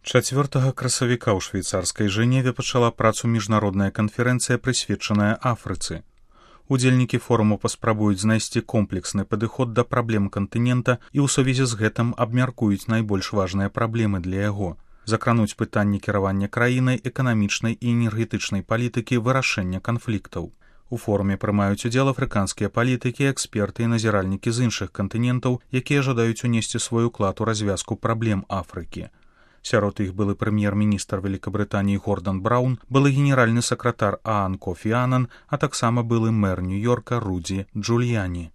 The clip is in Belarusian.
4 красавіка ў швейцарскай Жэневе пачала працу міжнародная канферэнцыя, прысвечаная Афрыцы. Удзельнікі форуму паспрабуюць знайсці комплексны падыход да праблем кантынента і ў сувязі з гэтым абмяркуюць найбольш важныя праблемы для яго. Закрануць пытанні кіравання краінай, эканамічнай і энергетычнай палітыкі, вырашэння канфліктаў. У форуме прымаюць удзел афрыканскія палітыкі, эксперты і назіральнікі з іншых кантынентаў, якія жадаюць унесці свой уклад у развязку праблем Афрыкі. Сярод іх былы прэм'ер-міністр Великабрытаніі Гордан Браўн, былы генеральны сакратар Аан Кофі Анан, а таксама былы мэр Нью-Йорка Рудзі Джуліяні.